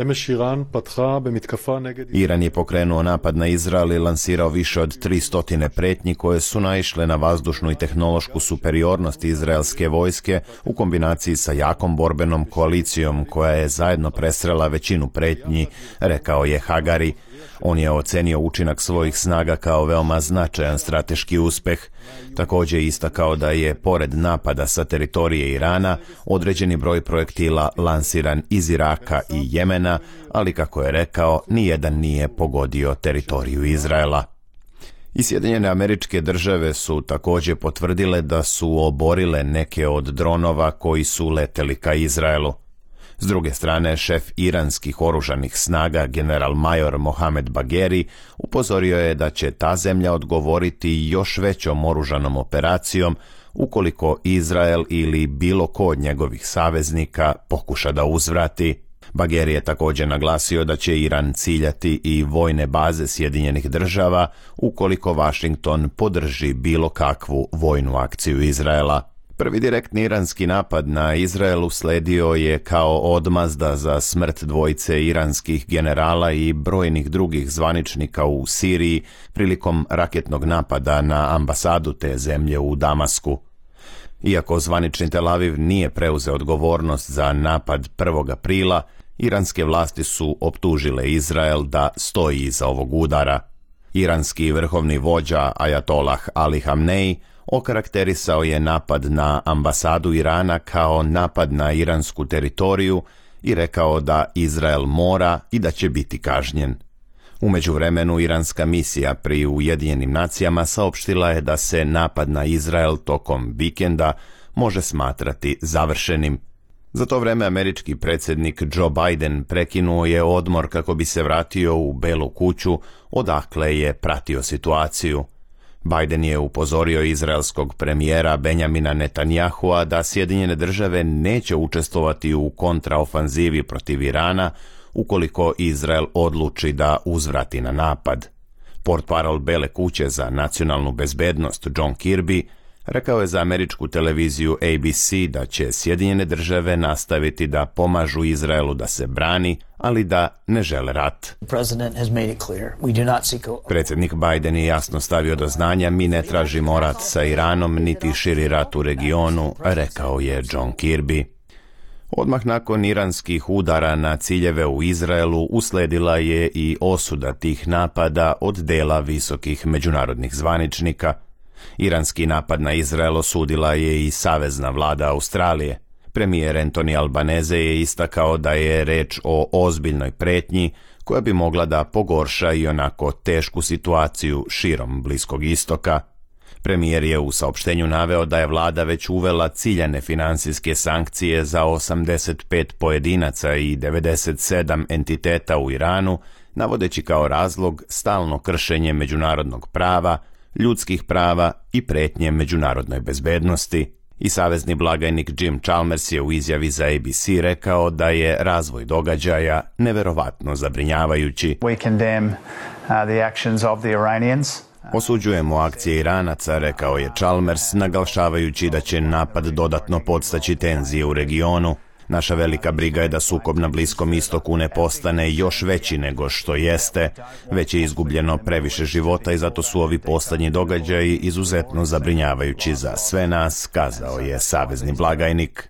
Iran je pokrenuo napad na Izrael i lansirao više od 300 pretnji koje su naišle na vazdušnu i tehnološku superiornost izraelske vojske u kombinaciji sa jakom borbenom koalicijom koja je zajedno presrela većinu pretnji, rekao je Hagari. On je ocenio učinak svojih snaga kao veoma značajan strateški uspeh. Također je istakao da je, pored napada sa teritorije Irana, određeni broj projektila lansiran iz Iraka i Jemena, ali kako je rekao, nijedan nije pogodio teritoriju Izraela. I Sjedinjene Američke Države su također potvrdile da su oborile neke od dronova koji su leteli ka Izraelu. S druge strane, šef iranskih oružanih snaga, general major Mohamed Bagheri, upozorio je da će ta zemlja odgovoriti još većom oružanom operacijom ukoliko Izrael ili bilo ko od njegovih saveznika pokuša da uzvrati. Bagheri je također naglasio da će Iran ciljati i vojne baze Sjedinjenih Država ukoliko Washington podrži bilo kakvu vojnu akciju Izraela. Prvi direktni iranski napad na Izrael usledio je kao odmazda za smrt dvojice iranskih generala i brojnih drugih zvaničnika u Siriji prilikom raketnog napada na ambasadu te zemlje u Damasku. Iako zvanični Tel Aviv nije preuzeo odgovornost za napad 1. aprila, iranske vlasti su optužile Izrael da stoji iza ovog udara. Iranski vrhovni vođa Ajatolah Ali Hamnej okarakterisao je napad na ambasadu Irana kao napad na iransku teritoriju i rekao da Izrael mora i da će biti kažnjen. U međuvremenu, iranska misija pri Ujedinjenim nacijama saopštila je da se napad na Izrael tokom vikenda može smatrati završenim. Za to vreme američki predsjednik Joe Biden prekinuo je odmor kako bi se vratio u Belu kuću, odakle je pratio situaciju. Biden je upozorio izraelskog premijera Benjamina Netanyahua da Sjedinjene Države neće učestvovati u kontraofanzivi protiv Irana ukoliko Izrael odluči da uzvrati na napad. Portparol Bele kuće za nacionalnu bezbednost John Kirby rekao je za američku televiziju ABC da će Sjedinjene Države nastaviti da pomažu Izraelu da se brani, ali da ne žele rat. Predsjednik Biden je jasno stavio do znanja: mi ne tražimo rat sa Iranom niti širi rat u regionu, rekao je John Kirby. Odmah nakon iranskih udara na ciljeve u Izraelu usledila je i osuda tih napada od dela visokih međunarodnih zvaničnika. Iranski napad na Izrael osudila je i savezna vlada Australije. Premijer Anthony Albanese je istakao da je reč o ozbiljnoj pretnji koja bi mogla da pogorša i onako tešku situaciju širom Bliskog istoka. Premijer je u saopštenju naveo da je vlada već uvela ciljane financijske sankcije za 85 pojedinaca i 97 entiteta u Iranu, navodeći kao razlog stalno kršenje međunarodnog prava, ljudskih prava i pretnje međunarodnoj bezbednosti. I savezni blagajnik Jim Chalmers je u izjavi za ABC rekao da je razvoj događaja neverovatno zabrinjavajući. We condemn the actions of the Iranians. Osuđujemo akcije Iranaca, rekao je Chalmers, naglašavajući da će napad dodatno podstaći tenzije u regionu. Naša velika briga je da sukob na Bliskom istoku ne postane još veći nego što jeste. Već je izgubljeno previše života i zato su ovi poslednji događaji izuzetno zabrinjavajući za sve nas, kazao je savezni blagajnik.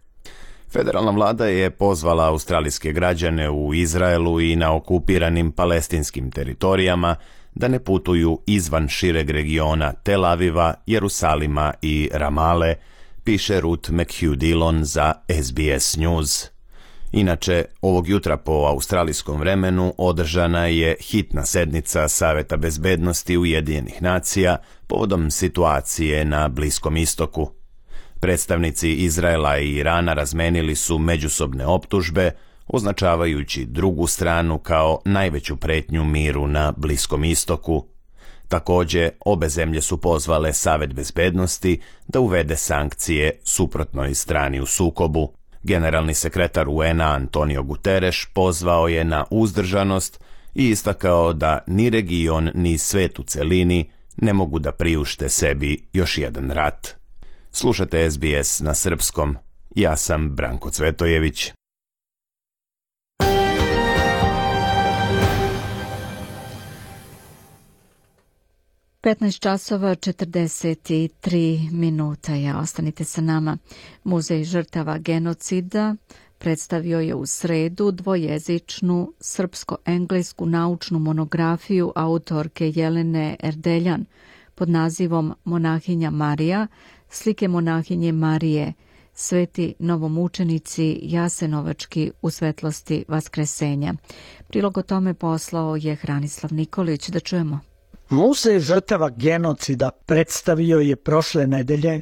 Federalna vlada je pozvala australijske građane u Izraelu i na okupiranim palestinskim teritorijama da ne putuju izvan šireg regiona Tel Aviva, Jerusalima i Ramale, piše Ruth McHugh-Dillon za SBS News. Inače, ovog jutra po australijskom vremenu održana je hitna sednica Saveta bezbednosti Ujedinjenih nacija povodom situacije na Bliskom istoku. Predstavnici Izraela i Irana razmenili su međusobne optužbe, označavajući drugu stranu kao najveću pretnju miru na Bliskom istoku. Također, obe zemlje su pozvale Savet bezbednosti da uvede sankcije suprotnoj strani u sukobu. Generalni sekretar UN-a Antonio Guterres pozvao je na uzdržanost i istakao da ni region ni svet u celini ne mogu da priušte sebi još jedan rat. Slušate SBS na srpskom. Ja sam Branko Cvetojević. časova 43 minuta. Ostanite sa nama. Muzej žrtava genocida predstavio je u sredu dvojezičnu srpsko-englesku naučnu monografiju autorke Jelene Erdeljan pod nazivom Monahinja Marija, slike monahinje Marije, sveti novomučenici Jasenovački u svetlosti Vaskresenja. Prilog o tome poslao je Hranislav Nikolić. Da čujemo. Muzej žrtava genocida predstavio je prošle nedelje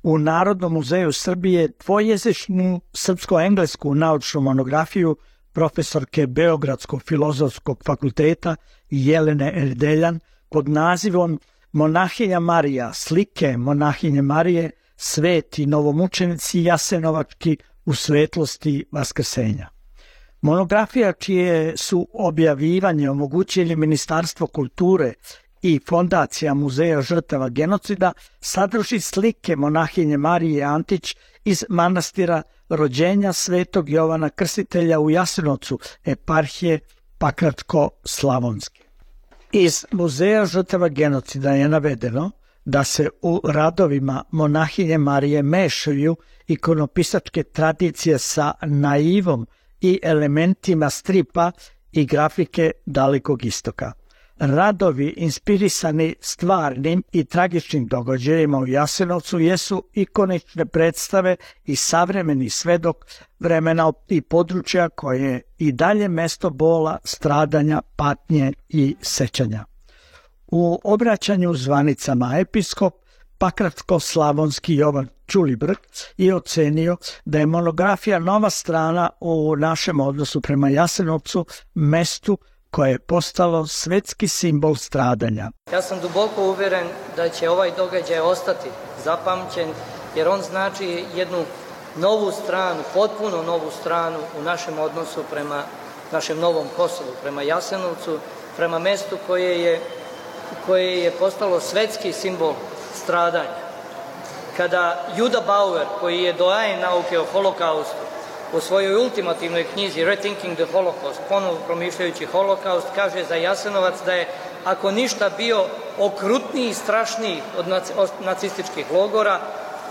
u Narodnom muzeju Srbije dvojezičnu srpsko-englesku naučnu monografiju profesorke Beogradskog filozofskog fakulteta Jelene Erdeljan pod nazivom Monahinja Marija, slike monahinje Marije, sveti novomučenici Jasenovački u svetlosti Vaskrsenja. Monografija čije su objavljivanje omogućili Ministarstvo kulture i Fondacija muzeja žrtava genocida sadrži slike monahinje Marije Antić iz manastira rođenja svetog Jovana Krstitelja u Jasenovcu, eparhije Pakračko-Slavonske. Iz muzeja žrtava genocida je navedeno da se u radovima monahinje Marije mešaju ikonopisačke tradicije sa naivom i elementima stripa i grafike Dalekog istoka. Radovi inspirisani stvarnim i tragičnim događajima u Jasenovcu jesu ikonične predstave i savremeni svedok vremena i područja koje je i dalje mesto bola, stradanja, patnje i sećanja. U obraćanju zvanicama episkop Pakračko-Slavonski Jovan Ćulibrk je ocenio da je monografija nova strana u našem odnosu prema Jasenovcu, mestu koje je postalo svetski simbol stradanja. Ja sam duboko uveren da će ovaj događaj ostati zapamćen, jer on znači jednu novu stranu, potpuno novu stranu u našem odnosu prema našem novom Kosovu, prema Jasenovcu, prema mestu koje je postalo svetski simbol stradanja. Kada Juda Bauer, koji je doajen nauke o holokaustu, u svojoj ultimativnoj knjizi Rethinking the Holocaust, ponovo promišljajući holokaust, kaže za Jasenovac da je, ako ništa, bio okrutniji i strašniji od nacističkih logora,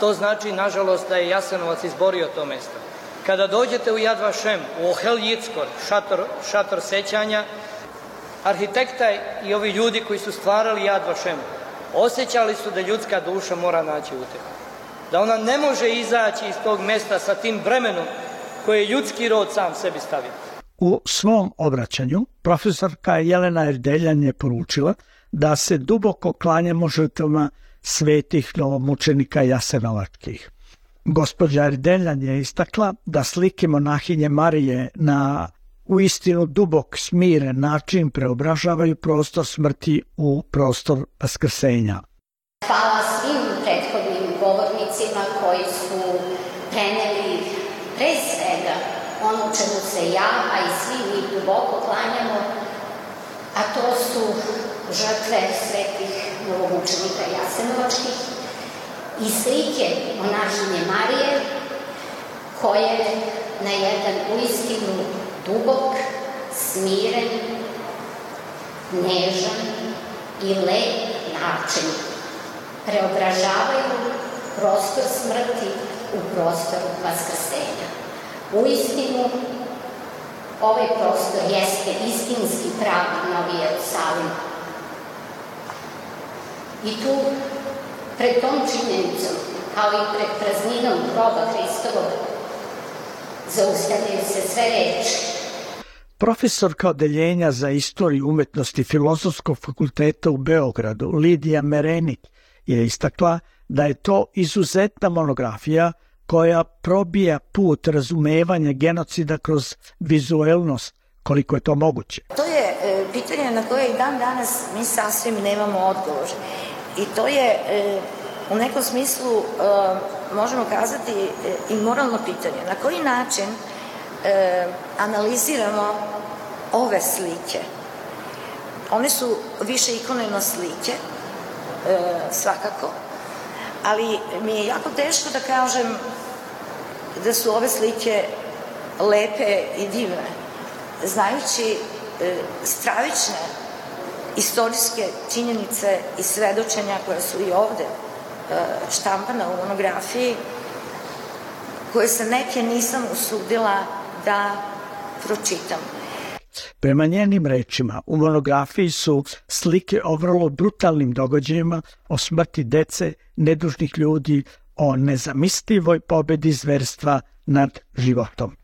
to znači, nažalost, da je Jasenovac izborio to mesto. Kada dođete u Yad Vashem, u Ohel Yitzhak, šator sećanja, arhitekta i ovi ljudi koji su stvarali Yad Vashem osjećali su da ljudska duša mora naći utehu. Da ona ne može izaći iz tog mesta sa tim bremenom koje je ljudski rod sam sebi stavio. U svom obraćanju profesorka Jelena Erdeljan je poručila da se duboko klanjamo žrtvama svetih novomučenika Jasenovačkih. Gospođa Erdeljan je istakla da slike monahinje Marije na uistinu dubok, smiren način preobražavaju prostor smrti u prostor vaskrsenja. Hvala svim prethodnim govornicima koji su preneli pre svega ono čemu se ja, a i svi mi duboko klanjamo, a to su žrtve svetih novomučenika Jasenovačkih i slike monahinje Marije koje na jedan uistinu dubok, smiren, nežan i lep način preobražavaju prostor smrti u prostor vaskrsenja. Uistinu, ovaj prostor jeste istinski pravi Novi Jerusalim. I tu, pred tom činjenicom, kao i pred prazninom groba Hristovog, zaustavljaju se sve reči. Profesorka odeljenja za istoriju umetnosti Filozofskog fakulteta u Beogradu, Lidija Merenik, je istakla da je to izuzetna monografija koja probija put razumevanja genocida kroz vizuelnost, koliko je to moguće. To je pitanje na koje i dan danas mi sasvim nemamo odgovor. I to je u nekom smislu, možemo kazati, i moralno pitanje. Na koji način analiziramo ove slike? One su više ikoneno slike, svakako, ali mi je jako teško da kažem da su ove slike lepe i divne, znajući stravične istorijske činjenice i svedočenja koja su i ovde štampana u monografiji, koje se neke nisam usudila da pročitam. Prema njenim rečima, u monografiji su slike o vrlo brutalnim događajima, o smrti dece, nedužnih ljudi, o nezamislivoj pobedi zverstva nad životom.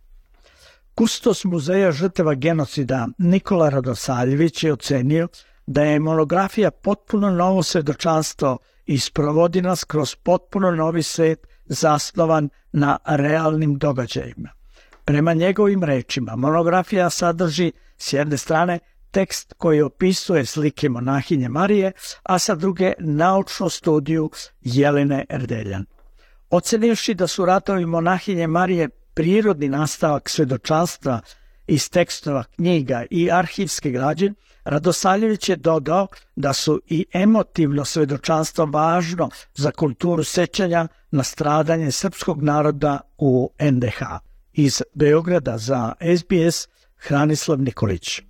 Kustos Muzeja žrtava genocida Nikola Radosaljević je ocenio da je monografija potpuno novo svedočanstvo i sprovodi nas kroz potpuno novi svet zasnovan na realnim događajima. Prema njegovim rečima, monografija sadrži s jedne strane tekst koji opisuje slike monahinje Marije, a sa druge naučnu studiju Jelene Erdeljan. Ocenivši da su ratovi monahinje Marije prirodni nastavak svedočanstva iz tekstova, knjiga i arhivske građe, Radosaljević je dodao da su i emotivno svedočanstvo važno za kulturu sećanja na stradanje srpskog naroda u NDH. Iz Beograda za SBS, Hranislav Nikolić.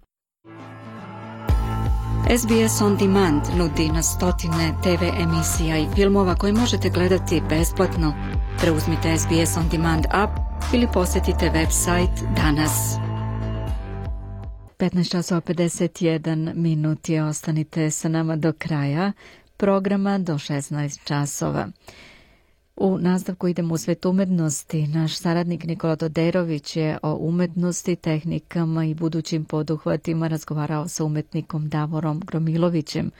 SBS On Demand nudi na stotine TV emisija i filmova koje možete gledati besplatno. Preuzmite SBS On Demand app ili posjetite website danas. 15:51 minuti, ostanite sa nama do kraja programa do 16 časova. U nastavku idemo u svet umetnosti. Naš saradnik Nikola Doderović je o umetnosti, tehnikama i budućim poduhvatima razgovarao sa umetnikom Davorom Gromilovićem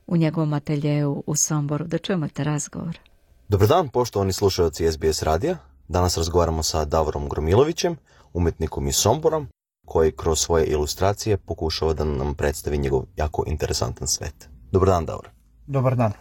u njegovom ateljeu u Somboru. Da čujemo te razgovor. Dobar dan, poštovani slušalci SBS radija. Danas razgovaramo sa Davorom Gromilovićem, umetnikom iz Sombora, koji kroz svoje ilustracije pokušava da nam predstavi njegov jako interesantan svet. Dobar dan, Davor. Dobar dan.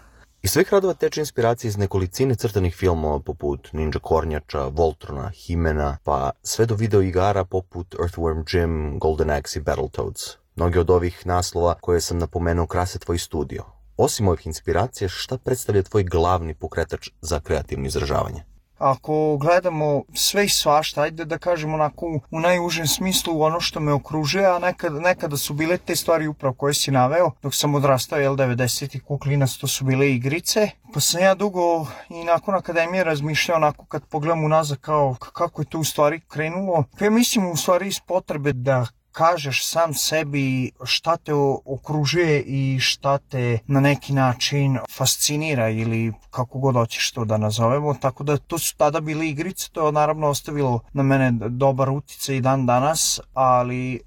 Iz svih radova teče inspiracija iz nekolicine crtanih filmova poput Ninja Kornjača, Voltrona, Himena, pa sve do video igara poput Earthworm Jim, Golden Axe i Battletoads. Mnogi od ovih naslova koje sam napomenuo krase tvoj studio. Osim ovih inspiracija, šta predstavlja tvoj glavni pokretač za kreativno izražavanje? Ako gledamo sve i svašta, ajde da kažemo onako u najužem smislu ono što me okružuje, a nekada su bile te stvari upravo koje si naveo. Dok sam odrastao, 90-ih kuklinac, to su bile igrice. Pa sam ja dugo i nakon akademije razmišljao onako kad pogledam unazad kao kako je to u stvari krenulo. Ja mislim u stvari iz potrebe da kažeš sam sebi šta te okružuje i šta te na neki način fascinira ili kako god hoćeš to da nazovemo. Tako da to su tada bile igrice, to je naravno ostavilo na mene dobar uticaj i dan danas, ali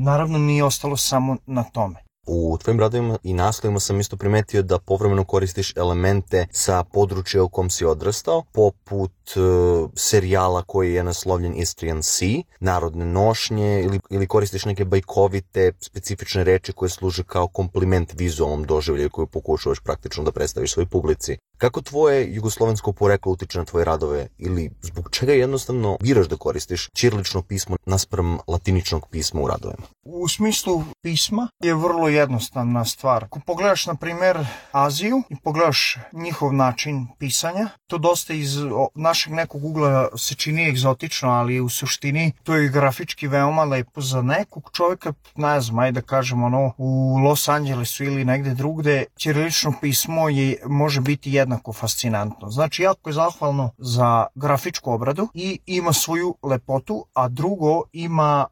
naravno nije ostalo samo na tome. U tvojim radovima i naslovima sam isto primetio da povremeno koristiš elemente sa područja u kom si odrastao, poput serijala koji je naslovljen Istrian Sea, narodne nošnje ili koristiš neke bajkovite, specifične reči koje služe kao kompliment vizualnom doživljaju koju pokušavaš praktično da predstaviš svoj publici. Kako tvoje jugoslovensko poreklo utiče na tvoje radove ili zbog čega jednostavno biraš da koristiš ćirilično pismo naspram latiničnog pisma u radovima? U smislu pisma je vrlo jednostavna stvar. Ako pogledaš, na primjer, Aziju i pogledaš njihov način pisanja, to dosta iz našeg nekog ugla se čini egzotično, ali u suštini to je grafički veoma lepo za nekog čovjeka, ne znam, ajde da kažem u Los Angelesu ili negde drugde, ćirilično pismo može biti jednako fascinantno. Znači, jako je zahvalno za grafičku obradu i ima svoju lepotu, a drugo ima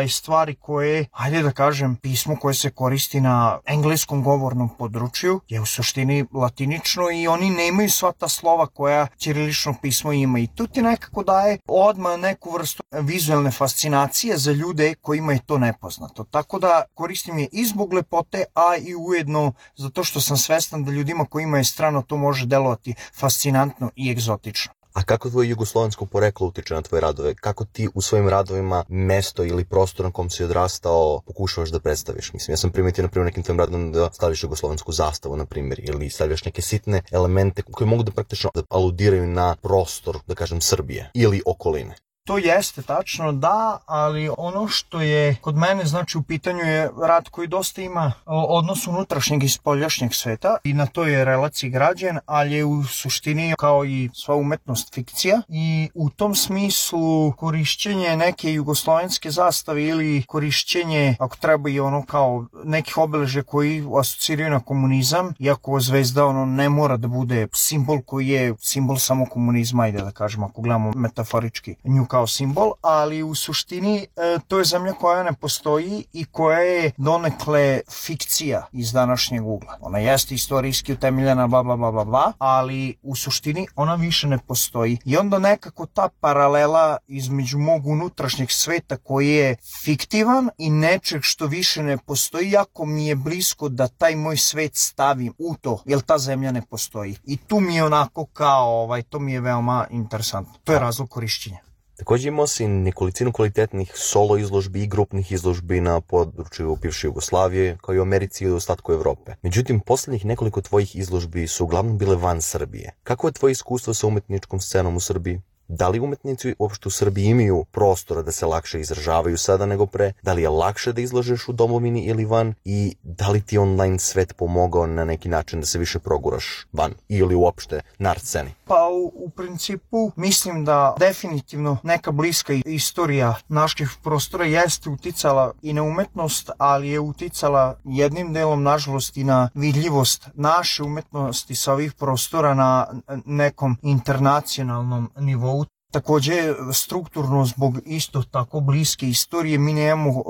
stvari koje, ajde da kažem, pismo koje se koristi na engleskom govornom području je u suštini latinično i oni nemaju sva ta slova koja ćirilično pismo ima i tu ti nekako daje odmah neku vrstu vizualne fascinacije za ljude kojima je to nepoznato. Tako da koristim je i zbog lepote, a i ujedno zato što sam svestan da ljudima kojima je strano to može delovati fascinantno i egzotično. A kako tvoje jugoslovensko poreklo utiče na tvoje radove? Kako ti u svojim radovima mesto ili prostor na kom si odrastao pokušavaš da predstaviš? Mislim, ja sam primetio, na primjer, nekim tvojim radom da staviš jugoslovensku zastavu, na primjer, ili stavljaš neke sitne elemente koji mogu da praktično aludiraju na prostor, da kažem, Srbije ili okoline. To jeste tačno, da, ali ono što je kod mene, znači, u pitanju je rad koji dosta ima odnos unutrašnjeg i spoljašnjeg sveta i na toj je relaciji građen, ali je u suštini kao i sva umetnost fikcija i u tom smislu korišćenje neke jugoslovenske zastave ili korišćenje, ako treba, i kao nekih obeležja koji asociraju na komunizam, iako zvezda ne mora da bude simbol koji je simbol samo komunizma, ajde da kažem, ako gledamo metaforički nju kao simbol, ali u suštini to je zemlja koja ne postoji i koja je donekle fikcija iz današnjeg ugla. Ona jeste istorijski utemeljena, bla, bla, bla, bla, bla, ali u suštini ona više ne postoji. I onda nekako ta paralela između mog unutrašnjeg sveta koji je fiktivan i nečeg što više ne postoji, jako mi je blisko da taj moj svet stavim u to, jer ta zemlja ne postoji. I tu mi je onako kao, to mi je veoma interesantno. To je razlog korišćenja. Također imao si nekolicinu kvalitetnih solo izložbi i grupnih izložbi na području bivše Jugoslavije, kao i u Americi i u ostatku Evrope. Međutim, posljednjih nekoliko tvojih izložbi su uglavnom bile van Srbije. Kako je tvoje iskustvo sa umetničkom scenom u Srbiji? Da li umetnici uopšte u Srbiji imaju prostora da se lakše izražavaju sada nego pre? Da li je lakše da izlažeš u domovini ili van? I da li ti online svet pomogao na neki način da se više proguraš van ili uopšte na art sceni? Pa u principu mislim da definitivno neka bliska istorija naših prostora jeste uticala i na umetnost, ali je uticala jednim delom, nažalost, i na vidljivost naše umetnosti sa ovih prostora na nekom internacionalnom nivou. Takođe, strukturno, zbog isto tako bliske istorije, mi nemamo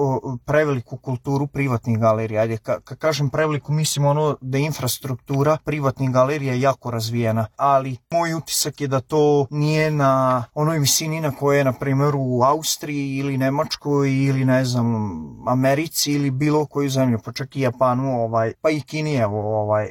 preveliku kulturu privatnih galerija. Ajde, kad kažem preveliku, mislim da je infrastruktura privatnih galerija jako razvijena, ali moj utisak je da to nije na onoj visini na koje je, na primjer, u Austriji ili Nemačkoj ili, ne znam, Americi ili bilo koju zemlju, pa čak i Japanu, pa i Kini,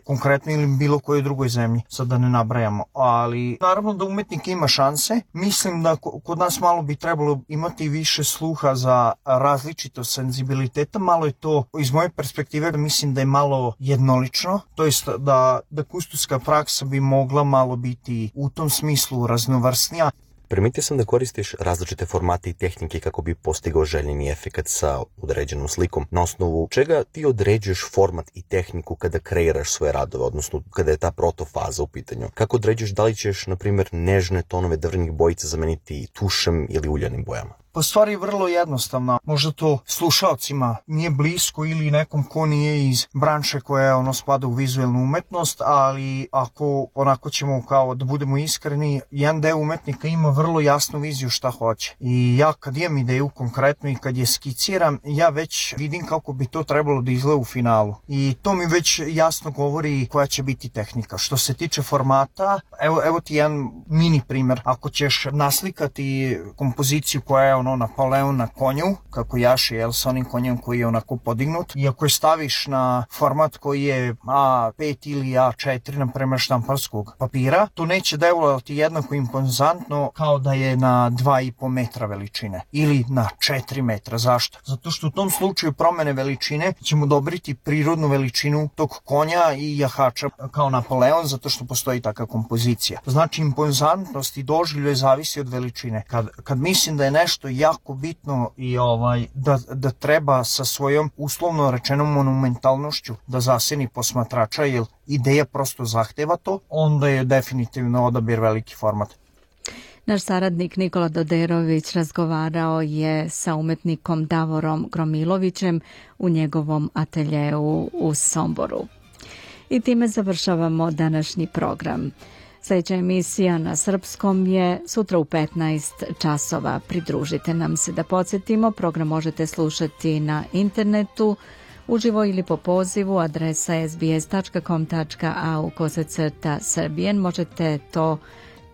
konkretno, ili bilo kojoj drugoj zemlji, sad da ne nabrajamo. Ali, naravno da umetnik ima šanse. Mislim da kod nas malo bi trebalo imati više sluha za različitost senzibiliteta, malo je to, iz moje perspektive, mislim da je malo jednolično, to jest da kustoska praksa bi mogla malo biti u tom smislu raznovrsnija. Primetio sam da koristiš različite formate i tehnike kako bi postigao željeni efekat sa određenom slikom. Na osnovu čega ti određuješ format i tehniku kada kreiraš svoje radove, odnosno kada je ta protofaza u pitanju? Kako određuješ da li ćeš, na primjer, nežne tonove drvenih bojica zameniti tušem ili uljanim bojama? Pa stvar je vrlo jednostavna. Možda to slušalcima nije blisko ili nekom ko nije iz branše koja spada u vizualnu umetnost, ali ako onako ćemo kao da budemo iskreni, jedan deo umetnika ima vrlo jasnu viziju šta hoće. I ja kad imam ideju konkretno i kad je skiciram, ja već vidim kako bi to trebalo da izgleda u finalu. I to mi već jasno govori koja će biti tehnika. Što se tiče formata, evo ti jedan mini primer. Ako ćeš naslikati kompoziciju koja je Napoleon na konju, kako jaši, sa onim konjem koji je onako podignut. I ako je staviš na format koji je A5 ili A4, na primer štamparskog papira, to neće delovati jednako impozantno kao da je na 2,5 metra veličine ili na 4 metra. Zašto? Zato što u tom slučaju promene veličine ćemo dobriti prirodnu veličinu tog konja i jahača kao Napoleon, zato što postoji takva kompozicija. Znači, impozantnost i doživljaj zavisi od veličine. Kad mislim da je nešto jako bitno i da treba sa svojom uslovno rečenom monumentalnošću da zaseni posmatrača, jer ideja prosto zahteva to, onda je definitivno odabir veliki format. Naš saradnik Nikola Doderović razgovarao je sa umetnikom Davorom Gromilovićem u njegovom ateljeu u Somboru. I time završavamo današnji program. Sljedeća emisija na srpskom je sutra u 15 časova. Pridružite nam se. Da podsjetimo, program možete slušati na internetu, uživo ili po pozivu, adresa sbs.com.au/Serbian. Možete to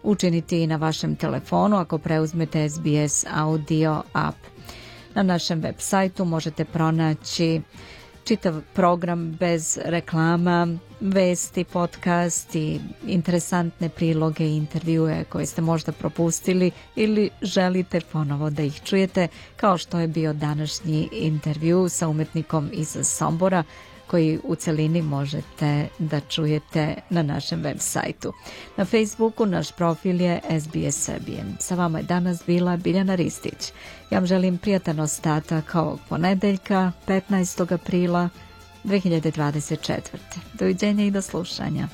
učiniti i na vašem telefonu ako preuzmete SBS audio app. Na našem web sajtu možete pronaći čitav program bez reklama, vesti, podcast i interesantne priloge i intervjue koje ste možda propustili ili želite ponovo da ih čujete, kao što je bio današnji intervju sa umetnikom iz Sombora, koji u celini možete da čujete na našem web sajtu. Na Facebooku naš profil je SBS Serbian. Sa vama je danas bila Biljana Ristić. Ja vam želim prijatan ostatak ovog ponedeljka, 15. aprila 2024. Doviđenja i do slušanja.